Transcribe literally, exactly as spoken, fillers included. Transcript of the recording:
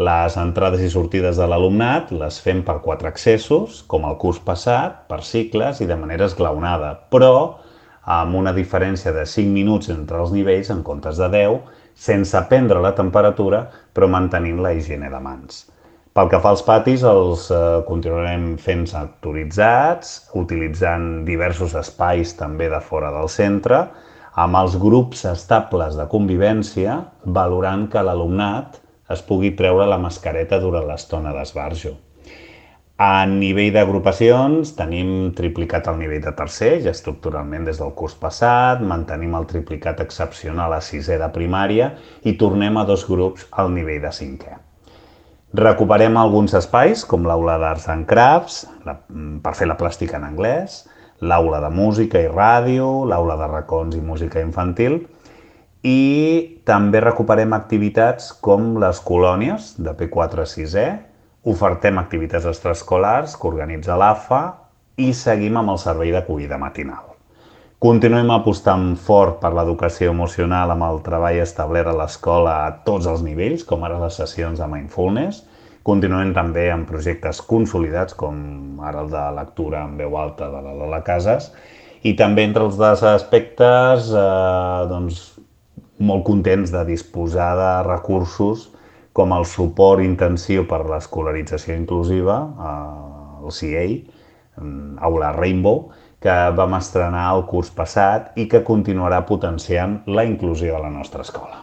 Les entrades i sortides de l'alumnat les fem per quatre accessos, com el curs passat, per cicles i de manera esglaonada, però amb una diferència de cinc minuts entre els nivells en comptes de deu, sense prendre la temperatura, però mantenint la higiene de mans. Pel que fa als patis, els eh, continuarem fent sectoritzats, utilitzant diversos espais també de fora del centre, amb els grups estables de convivència, valorant que l'alumnat es pugui treure la mascareta durant l'estona d'esbarjo. A nivell d'agrupacions tenim triplicat el nivell de tercer, ja estructuralment des del curs passat, mantenim el triplicat excepcional a sisè de primària i tornem a dos grups al nivell de cinquè. Recuperem alguns espais, com l'aula d'Arts and Crafts, la, per fer la plàstica en anglès, l'aula de música i ràdio, l'aula de racons i música infantil, i també recuperem activitats com les colònies de P quatre a sisè, ofertem activitats extraescolars que organitza l'A F A i seguim amb el servei d'acollida matinal. Continuem apostant fort per l'educació emocional amb el treball establert a l'escola a tots els nivells, com ara les sessions de mindfulness. Continuem també amb projectes consolidats, com ara el de lectura en veu alta de la Lola Casas, i també entre els dos aspectes, eh, doncs, molt contents de disposar de recursos com el suport intensiu per l'escolarització inclusiva, el C A, Aula Rainbow, que vam estrenar el curs passat i que continuarà potenciant la inclusió a la nostra escola.